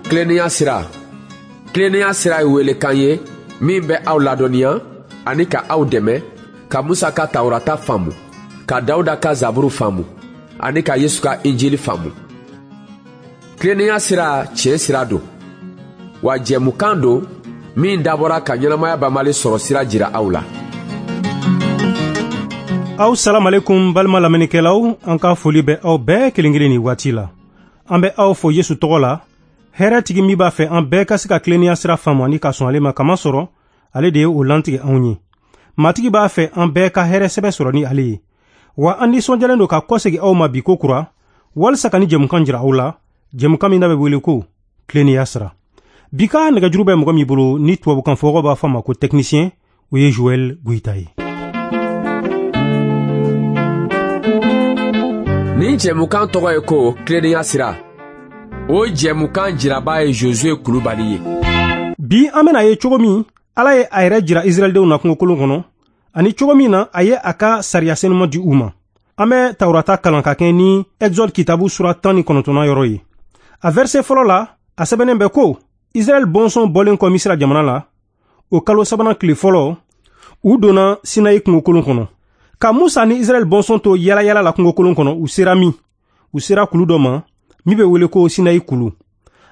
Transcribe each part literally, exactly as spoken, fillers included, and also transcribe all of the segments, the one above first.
Tilennenya sira. Tilennenya sira ye welekan ye min bɛ aw ladɔnniya ani ka aw dɛmɛ ka Musa ka Tawurata faamu, ka Dawuda ka Zaburu faamu ani ka Yesu ka Injili faamu. Tilennenya sira tiɲɛ sira don, wa jɛmukan don min dabɔra ka ɲɛnamaya banbali sɔrɔ sira jira aw la. Aw salamalekum balima lamɛnnikɛlaw, an ka foli bɛ aw bɛɛ kelen kelen nin waati la. An bɛ aw fo Yesu tɔgɔ la, hɛrɛtigi min b'a fɛ an bɛɛ ka se ka tilennenya sira faamu ani ka sɔn ale ma, kamasɔrɔ ale de ye o lantigɛ anw ye. Matigi b'a fɛ an bɛɛ ka hɛrɛ sɛbɛ sɔrɔ ni ale ye. Wa an nisɔndiyalen don ka kɔsegin aw ma bi ko kura, walisa ka ni jɛmukan jira aw la, jɛmukan min n'a bɛ wele ko tilennenya sira. Bi ka nɛgɛjuru bɛ mɔgɔ min bolo ni tubabukan fɔkɔ b'a fɔ a ma ko technicien, o ye Joël Goïta ye. Nin jɛmukan tɔgɔ ye ko tilennenya sira. O jɛmukan jiraba ye Josué Kulubali ye. Bi an bɛna ye cogo min Ala ye a yɛrɛ jira Israɛldenw na kungokolon kɔnɔ, ani cogo min na a ye a ka sariya senuma di u ma. An bɛ Tawurata kalan ka kɛ ni Exode kitabu sura tan ni kɔnɔntɔnnan yɔrɔ ye. A verset fɔlɔ la, a sɛbɛnnen bɛ ko Israɛl bɔnsɔn bɔlen kɔ Misira jamana la, o kalo sabanan tile fɔlɔ, u donna Sinayi kungokolon kɔnɔ. Ka Musa ni Israɛl bɔnsɔn to yalayala la kungokolon kɔnɔ, u sera min? U sera kulu dɔ ma min bɛ wele ko Sinayi kulu.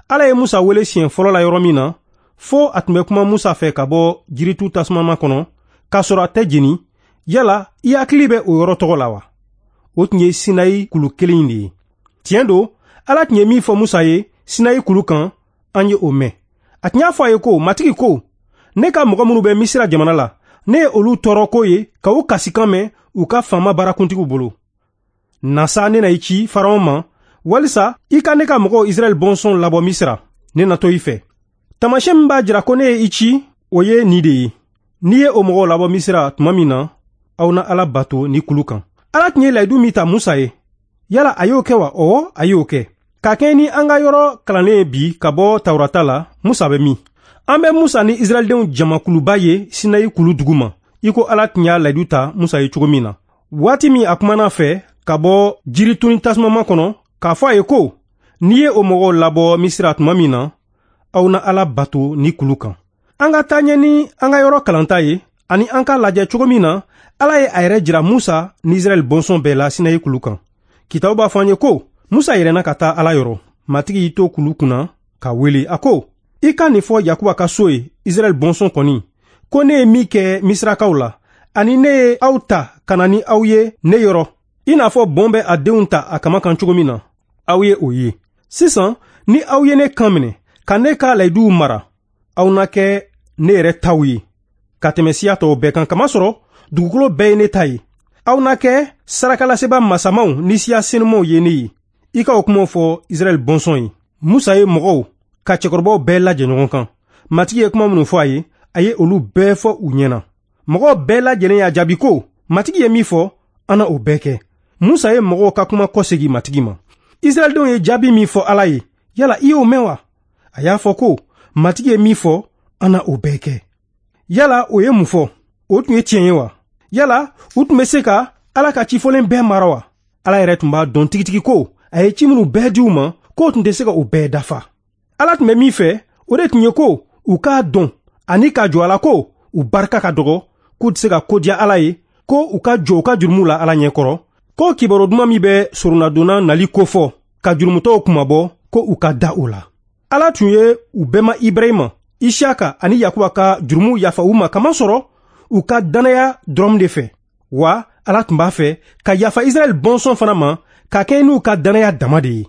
Ala ye Musa wele siɲɛ fɔlɔ la yɔrɔ min na, fo a tun bɛ kuma Musa fɛ ka bɔ jiritu tasumama kɔnɔ, k'a sɔrɔ a tɛ jeni. Yala i hakili bɛ o yɔrɔ tɔgɔ la wa? O tun ye Sinayi kulu kelen in de ye. Tiɲɛ don, Ala tun ye min fɔ Musa ye Sinayi kulu kan, an ye o mɛn. A tun y'a fɔ a ye ko, Matigi ko, ne ka mɔgɔ minnu bɛ Misira jamana la, ne ye olu tɔɔrɔ ko ye ka u kasikan mɛn u ka faama baarakuntigiw bolo. Na sa, ne na i ci Faraon ma, walisa i ka ne ka mɔgɔw Israɛl bɔnsɔn labɔ Misira. Ne na to i fɛ. Taamasiyɛn min b'a jira ko ne ye i ci, o ye nin de ye. N'i ye o mɔgɔw labɔ Misira tuma min na, aw na Ala bato ni kulu kan. Ala tun ye layidu min ta Musa ye, yala a y'o kɛ wa? Ɔwɔ, a y'o kɛ. Ka kɛɲɛ ni an ka yɔrɔ kalannen ye bi ka bɔ Tawurata la, Musa bɛ min? An bɛ Musa ni Israɛldenw jamakuluba ye Sinayi kulu duguma, i ko Ala tun y'a layidu ta Musa ye cogo min na. Waati min a kumana fɛ ka bɔ jirituni tasumama kɔnɔ, k'a fɔ a ye ko, n'i ye o mɔgɔw labɔ Misira tuma min na, aw na Ala bato ni kulu kan. An ka taa ɲɛ ni an ka yɔrɔ kalanta ye, ani an k'a lajɛ cogo min na Ala ye a yɛrɛ jira Musa ni Israɛl bɔnsɔn bɛɛ la Sinayi kulu kan. Kitabu b'a fɔ an ye ko Musa yɛlɛnna ka taa Ala yɔrɔ. Matigi y'i to kulu kunna ka wele, a ko, i ka nin fɔ Yakuba ka so ye, Israɛl bɔnsɔn kɔni, ko ne ye min kɛ Misirakaw la, ani ne ye aw ta ka na ni aw ye ne yɔrɔ, i n'a fɔ bɔn bɛ a denw ta a kama kan cogo min na, aw ye o ye. Sisan, ni aw ye ne kan minɛ, ka ne ka layiduw mara, aw na kɛ ne yɛrɛ taw ye, ka tɛmɛ siya tɔw bɛɛ kan, kamasɔrɔ dugukolo bɛɛ ye ne ta ye. Aw na kɛ sarakalaseba masamaw ni siya senumaw ye ne ye. I ka o kumaw fɔ Israɛl bɔnsɔn ye. Musa ye mɔgɔw ka cɛkɔrɔbaw bɛɛ lajɛ ɲɔgɔn kan. Matigi ye kuma minnu fɔ a ye, a ye olu bɛɛ fɔ u ɲɛna. Mɔgɔw bɛɛ lajɛlen y'a jaabi ko, Matigi ye min fɔ, an na o bɛɛ kɛ. Musa ye mɔgɔw ka kuma kɔsegin Matigi ma. Israɛldenw ye jaabi min fɔ Ala ye, yala i y'o mɛn wa? A y'a fɔ ko, Matigi ye min fɔ, an na o bɛɛ kɛ. Yala o ye mun fɔ? O tun ye tiɲɛ ye wa? Yala u tun bɛ se ka Ala ka cifɔlen bɛɛ mara wa? Ala yɛrɛ tun b'a dɔn tigitigi ko a ye ci minnu bɛɛ di u ma, k'o tun tɛ se ka o bɛɛ dafa. Ala tun bɛ min fɛ, o de tun ye ko u k'a dɔn ani k'a jɔ a la ko u barika ka dɔgɔ, k'u tɛ se ka ko diya Ala ye, ko u ka jɔ u ka jurumuw la Ala ɲɛkɔrɔ, ko kibaru duman min bɛ soronadonna nali kofɔ ka jurumutɔw kunmabɔ, ko u ka da o la. Ala tun ye u bɛnba Ibrahima, Isiyaka ani Yakuba ka jurumuw yafa u ma, kamasɔrɔ u ka dannaya dɔrɔn de fɛ. Wa Ala tun b'a fɛ ka yafa Israɛl bɔnsɔn fana ma, ka kɛɲɛ n'u ka dannaya dama de ye.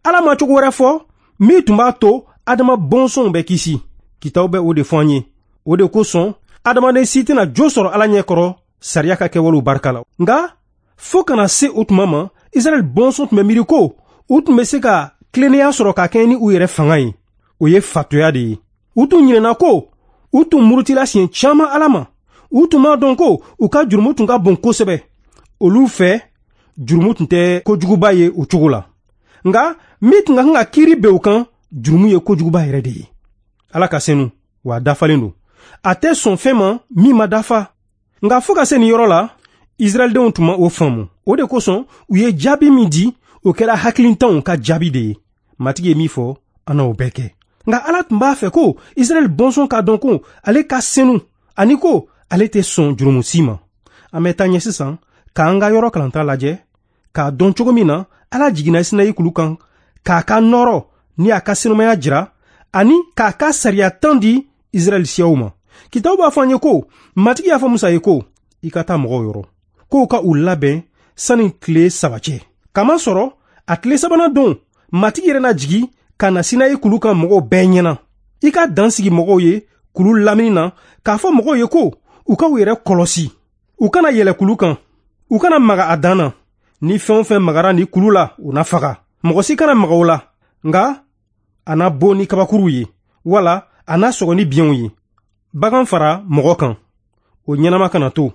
Ala ma cogo wɛrɛ fɔ min tun b'a to Adama bɔnsɔnw bɛ kisi. Kitabu bɛ o de fɔ an ye. O de kosɔn adamaden si tɛna jo sɔrɔ Ala ɲɛkɔrɔ sariya ka kɛwalew barika la. Nka fo kana se o tuma ma, Israɛl bɔnsɔn tun bɛ miiri ko u tun bɛ se ka tilennenya sɔrɔ ka kɛɲɛ ni u yɛrɛ fanga ye. O ye fatoya de ye. U tun ɲinɛna ko u tun murutila siɲɛ caman Ala ma. U tun m'a dɔn ko u ka jurumu tun ka bon kosɛbɛ. Olu fɛ, jurumu tun tɛ kojuguba ye o cogo la. Nka min tun ka kan ka kiiri bɛn u kan, jurumu ye kojuguba yɛrɛ de ye. Ala ka senu, wa a dafalen don. A tɛ sɔn fɛn ma min ma dafa. Nka fo ka se nin yɔrɔ la, Israɛldenw tun ma o faamu. O de kosɔn u ye jaabi min di, o kɛra hakilintanw ka jaabi de ye. Matigi ye min fɔ, an na o bɛɛ kɛ. Nka Ala tun b'a fɛ ko Israɛl bɔnsɔn k'a dɔn ko ale ka senu ani ko ale tɛ sɔn jurumu si ma. An bɛ taa ɲɛ sisan k'an ka yɔrɔ kalanta lajɛ k'a dɔn cogo min na Ala jiginna Sinayi kulu kan k'a ka nɔrɔ ni a ka senumaya jira ani k'a ka sariya tan di Israɛl siyaw ma. Kitabu b'a fɔ an ye ko Matigi y'a fɔ Musa ye ko i ka taa mɔgɔw yɔrɔ k'o ka u labɛn sani tile saba cɛ. Kamasɔrɔ a tile sabanan don Matigi yɛrɛ na jigi ka na Sinayi kulu kan mɔgɔw bɛɛ ɲɛna. I ka dan sigi mɔgɔw ye kulu lamini na k'a fɔ mɔgɔw ye ko u ka u yɛrɛ kɔlɔsi, u kana yɛlɛ kulu kan, u kana maga a dan na. Ni fɛn o fɛn magara ni kulu la, u na faga. Mɔgɔ si kana maga o la, nka a na bon ni kabakuruw ye, wala a na sɔgɔ ni biɲɛw ye. Bagan fara mɔgɔ kan, o ɲɛnama kana to.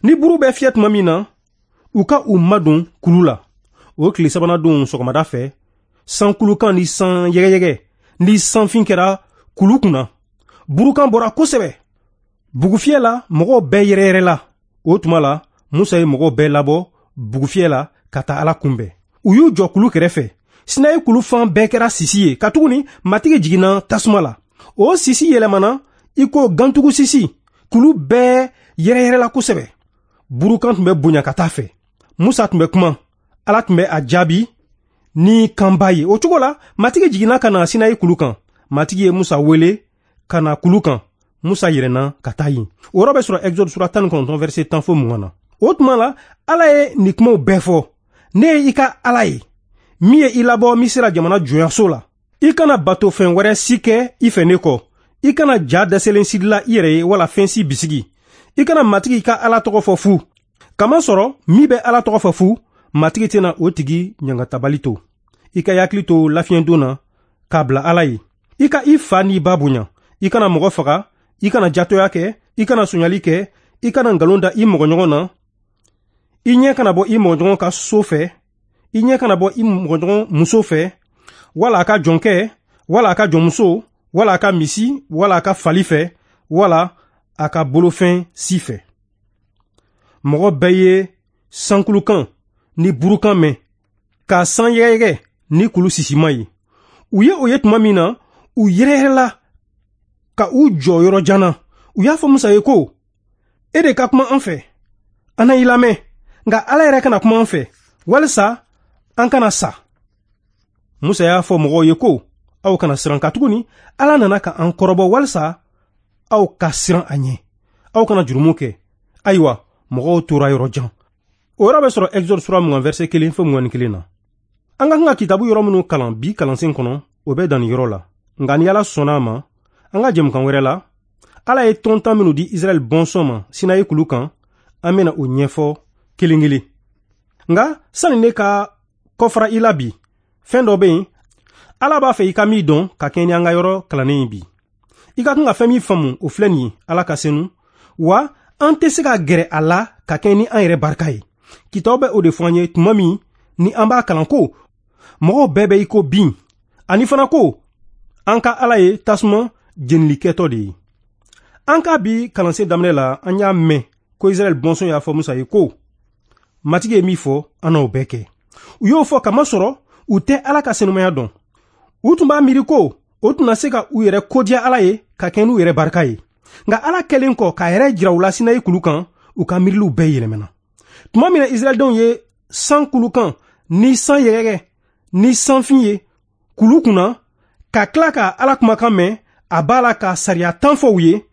Ni buru bɛ fiyɛ tuma min na, u ka u madon kulu la. O tile sabanan don sɔgɔmada fɛ, sankulukan ni san yɛgɛyɛgɛ ni sanfin kɛra kulu kunna. Burukan bɔra kosɛbɛ. Bugufiyɛ la, mɔgɔw bɛɛ yɛrɛyɛrɛla. O tuma la, Musa ye mɔgɔw bɛɛ labɔ bugufiyɛ la ka taa Ala kunbɛn. U y'u jɔ kulu kɛrɛfɛ. Sinayi kulu fan bɛɛ kɛra sisi ye, katuguni Matigi jiginna tasuma la. O sisi yɛlɛmana i ko gantugu sisi. Kulu bɛɛ yɛrɛyɛrɛla kosɛbɛ. Burukan tun bɛ bonya ka taa fɛ. Musa tun bɛ kuma, Ala tun bɛ a jaabi ni kanba ye. O cogo la, Matigi jiginna ka na Sinayi kulu kan. Matigi ye Musa wele ka na kulu kan. Musa yɛlɛnna ka taa yen. O yɔrɔ bɛ sɔrɔ Exode sura tan ni kɔnɔntɔn verset tan fo mugan na. O tuma la, Ala ye nin kumaw bɛɛ fɔ. Ne ye i ka Ala ye, min ye i labɔ Misira jamana jɔnyaso la. I kana bato fɛn wɛrɛ si kɛ i fɛ ne kɔ. I kana ja dɛsɛlen si dilan i yɛrɛ ye wala fɛn si bisigi. I kana Matigi i ka Ala tɔgɔ fɔ fu. Kamasɔrɔ min bɛ Ala tɔgɔ fɔ fu, Matigi tɛna o tigi ɲangatabali to. I ka hakili to lafiɲɛdon na k'a bila Ala ye. I ka i fa n'i ba bonya. I kana mɔgɔ faga, i kana jatɔya kɛ, i kana sonyali kɛ, i kana nkalon da i mɔgɔɲɔgɔn na. I ɲɛ kana bɔ i mɔgɔɲɔgɔn ka so fɛ, i ɲɛ kana bɔ i mɔgɔɲɔgɔn muso fɛ, wala a ka jɔnkɛ, wala a ka jɔnmuso, wala a ka misi, wala a ka fali fɛ, wala a ka bolofɛn si fɛ. Mɔgɔ bɛɛ ye sankulukan ni burukan mɛn, ka san yɛgɛyɛgɛ ni kulu sisima ye. U ye o ye tuma min na, u yɛrɛyɛrɛla ka u jɔ yɔrɔ jan na. U y'a fɔ Musa ye ko, e de ka kuma an fɛ, an na i lamɛn, nka Ala yɛrɛ kana kuma an fɛ, walisa an kana sa. Musa y'a fɔ mɔgɔw ye ko, aw kana siran, katuguni Ala nana ka an kɔrɔbɔ walisa aw ka siran a ɲɛ. Aw kana jurumu kɛ. Ayiwa, mɔgɔw tora yɔrɔ jan. O yɔrɔ bɛ sɔrɔ Exode sura mugan verset kelen fo mugan ni kelen na. An ka kan ka kitabu yɔrɔ minnu kalan bi kalansen kɔnɔ, o bɛ dan nin yɔrɔ la. Nka ni Ala sɔnna a ma, an ka jɛmukan wɛrɛ la, Ala ye tɔn tan minnu di Israɛl bɔnsɔn ma Sinayi kulu kan, an bɛna o ɲɛfɔ kelen kelen. Nka sani ne ka kɔfara i la bi, fɛn dɔ bɛ yen Ala b'a fɛ i ka min dɔn ka kɛɲɛ ni an ka yɔrɔ kalannen ye bi. I ka kan ka fɛn min faamu, o filɛ nin ye: Ala ka senu, wa an tɛ se ka gɛrɛ a la ka kɛɲɛ ni an yɛrɛ barika ye. Kitabu bɛ o de fɔ an ye tuma min ni an b'a kalan ko mɔgɔw bɛɛ bɛ i ko bin, ani fana ko an ka Ala ye tasuma jenilikɛtɔ de ye. An ka bi kalansen daminɛ la, an y'a mɛn ko Israɛl bɔnsɔn y'a fɔ Musa ye ko Matigi ye min fɔ, an n'o bɛɛ kɛ. U y'o fɔ kamasɔrɔ u tɛ Ala ka senumaya dɔn. U tun b'a miiri ko o tun na se ka u yɛrɛ kodiya Ala ye ka kɛ n'u yɛrɛ barika ye. Nka Ala kɛlen kɔ k'a yɛrɛ jira u la Sinayi kulu kan, u ka miiriliw bɛɛ yɛlɛmana. Tuma min na Israɛldenw ye san kulukan ni san yɛgɛyɛgɛ ni sanfin ye kulu kunna, ka tila ka Ala kumakan mɛn, a b'a la ka sariya tan fɔ u ye,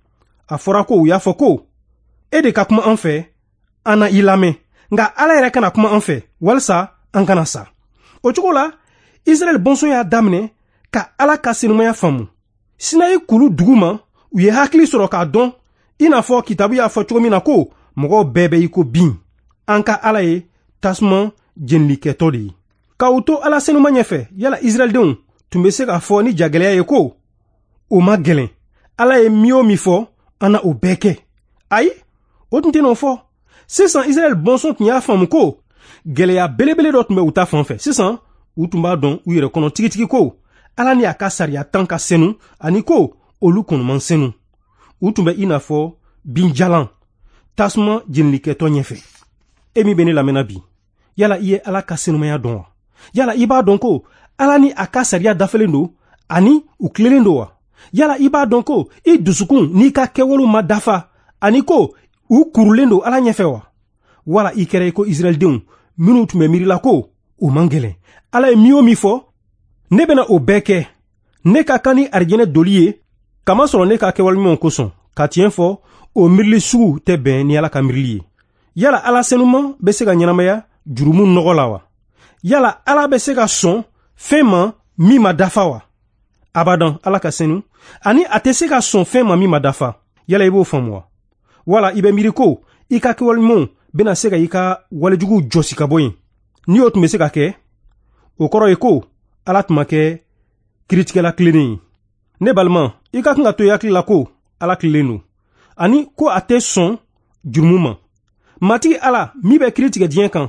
a fɔra ko u y'a fɔ ko e de ka kuma an fɛ, an na i lamɛn, nka Ala yɛrɛ kana kuma an fɛ walisa an kana sa. O cogo la, Israɛl bɔnsɔn y'a daminɛ ka Ala ka senumaya faamu. Sinayi kulu duguma, u ye hakili sɔrɔ k'a dɔn, i n'a fɔ kitabu y'a fɔ cogo min na ko mɔgɔw bɛɛ bɛ i ko bin. An ka Ala ye tasuma jenilikɛtɔ de ye. K'u to Ala senuma ɲɛfɛ, yala Israɛldenw tun bɛ se k'a fɔ ni jagɛlɛya ye ko o ma gɛlɛn, Ala ye min o min fɔ, an na o bɛɛ kɛ? Ayi, o tun tɛ n'o fɔ. Sisan Israɛl bɔnsɔn tun y'a faamu ko gɛlɛya belebele dɔ tun bɛ u ta fan fɛ. Sisan u tun b'a dɔn u yɛrɛ kɔnɔ tigitigi ko Ala ni a ka sariya tan ka senu, ani ko olu kɔnɔman senu. U tun bɛ i n'a fɔ binjalan tasuma jenilikɛtɔ ɲɛfɛ. E min bɛ ne lamɛnna bi, yala i ye Ala ka senumaya dɔn wa? Yala i b'a dɔn ko Ala ni a ka sariya dafalen don, Ani u tilennen don wa? Yala i b'a dɔn ko i dusukun n'i ka kɛwalew ma dafa ani ko u kurulen don Ala ɲɛfɛ wa? Wala i kɛra i ko Israɛldenw minnu tun bɛ miirila ko o man gɛlɛn. Ala ye min o min fɔ, ne bɛna o bɛɛ kɛ. Ne ka kan ni arijinɛ doli ye, kamasɔrɔ ne ka kɛwale ɲumanw kosɔn. Ka tiɲɛ fɔ, o miirili sugu tɛ bɛn ni Ala ka miirili ye. Yala Ala senuman bɛ se ka ɲɛnamaya jurumu nɔgɔ la wa? Yala Ala bɛ se ka sɔn fɛn ma min ma dafa wa? Abadan, Ala ka senu, ani a tɛ se ka sɔn fɛn ma min ma dafa. Yala i b'o faamu wa? Wala i bɛ miiri ko i ka kɛwale ɲumanw bɛna se ka i ka walejuguw jɔsi ka bɔ yen. Ni o tun bɛ se ka kɛ, o kɔrɔ ye ko Ala tun ma kɛ kiiritigɛla tilennen ye. Ne balima, i ka kan ka to i hakili la ko Ala tilennen don, ani ko a tɛ sɔn jurumu ma. Matigi Ala min bɛ kiiri tigɛ diɲɛ kan,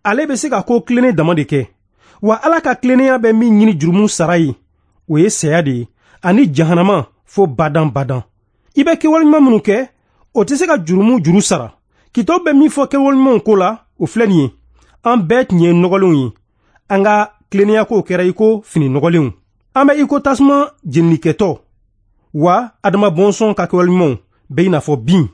ale bɛ se ka ko tilennen dama de kɛ. Wa Ala ka tilennenya bɛ min ɲini jurumu sara ye, o ye saya de ye, ani jahanama fo badan badan. I bɛ kɛwale ɲuman minnu kɛ, o tɛ se ka jurumu juru sara. Kitabu bɛ min fɔ kɛwale ɲumanw ko la, o filɛ nin ye: an bɛɛ tun ye nɔgɔlenw ye, an ka tilennenya kow kɛra i ko fini nɔgɔlenw. An bɛ i ko tasuma jenilikɛtɔ, wa Adama bɔnsɔn ka kɛwale ɲumanw bɛ i n'a fɔ bin.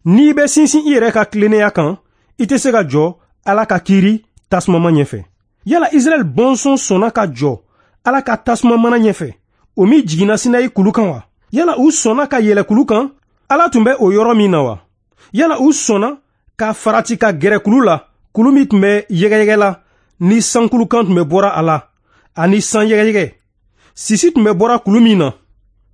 N'i bɛ sinsin i yɛrɛ ka tilennenya kan, i tɛ se ka jɔ Ala ka kiiri tasumama ɲɛfɛ. Yala Israɛl bɔnsɔn sɔnna ka jɔ Ala ka tasuma mana ɲɛfɛ, o min jiginna Sinayi kulu kan wa? Yala u sɔnna ka yɛlɛ kulu kan, Ala tun bɛ o yɔrɔ min na wa? Yala u sɔnna ka farati ka gɛrɛ kulu la, kulu min tun bɛ yɛgɛyɛgɛ la, ni sankulukan tun bɛ bɔra a la, ani san yɛgɛyɛgɛ? Sisi tun bɛ bɔra kulu min na,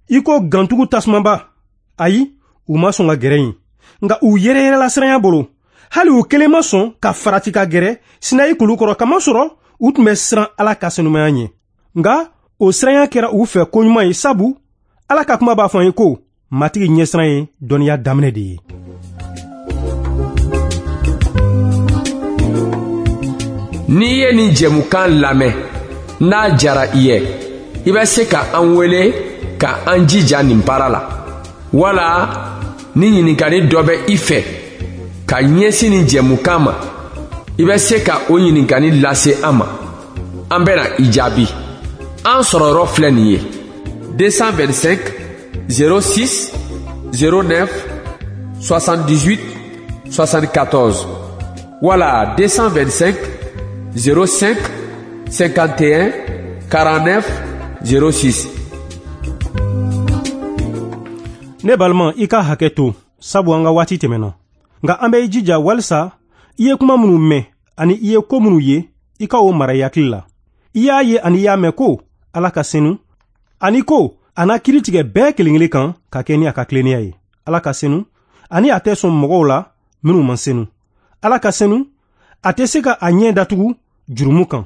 i ko gantugu tasumaba. Ayi, u ma sɔn ka gɛrɛ yen, nka u yɛrɛyɛrɛla siranya bolo. Hali u kelen ma sɔn ka farati ka gɛrɛ Sinayi kulu kɔrɔ, kamasɔrɔ u tun bɛ siran Ala ka senumaya ɲɛ. Nka o siranya kɛra u fɛ koɲuman ye, sabu Ala ka kuma b'a fɔ an ye ko Matigi ɲɛsiran ye dɔnniya daminɛ de ye. N'i ye nin jɛmukan lamɛn, n'a jara i ye, i bɛ se ka an wele ka an jija nin baara la. Wala ni ɲininkali dɔ bɛ i fɛ ka ɲɛsin nin jɛmukan ma, i bɛ se ka o ɲininkali lase an ma. An bɛna i jaabi. An sɔrɔ yɔrɔ filɛ nin ye: deux cent vingt-cinq zéro six zéro neuf soixante-dix-huit soixante-quatorze wala deux cent vingt-cinq zéro cinq cinquante et un quarante-neuf zéro six. Ne balima, i ka hakɛ to, sabu an ka waati tɛmɛna. Nka an bɛ i jija walisa i ye kuma minnu mɛn ani i ye ko minnu ye, i ka o mara i hakili la. I y'a ye ani i y'a mɛn ko Ala ka senu, ani ko a na kiiri tigɛ bɛɛ kelen kelen kan ka kɛ ni a ka tilennenya ye. Ala ka senu, ani a tɛ sɔn mɔgɔw la minnu man senu. Ala ka senu, a tɛ se ka a ɲɛ datugu jurumu kan.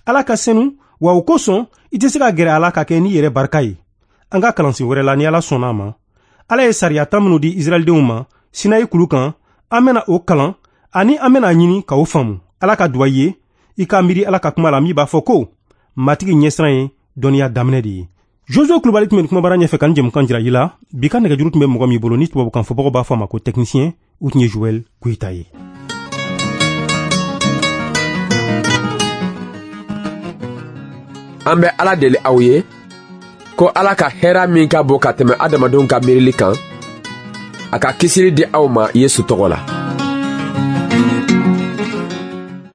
Ala ka senu, wa o kosɔn i tɛ se ka gɛrɛ a la ka kɛ n'i yɛrɛ barika ye. An ka kalansen wɛrɛ la, ni Ala sɔnna a ma, Ala ye sariya tan minnu di Israɛldenw ma Sinayi kulu kan, an bɛna o kalan ani an bɛna ɲini ka o faamu. Ala ka duwa ye, i ka miiri Ala ka kuma la min b'a fɔ ko Matigi ɲɛsiran ye dɔnniya daminɛ de ye. Josué Kulubali tun bɛ kumabara ɲɛfɛ ka nin jɛmukan jira i la. Bi ka nɛgɛjuru tun bɛ mɔgɔ min bolo ni tubabukan fɔbagaw b'a fɔ a ma ko technicien, o tun ye Joël Koyita ye. An bɛ Ala deli aw ye ko Ala ka hɛrɛ min ka bon ka tɛmɛ adamadenw ka miirili kan, a ka kisili di aw ma Yesu tɔgɔ la.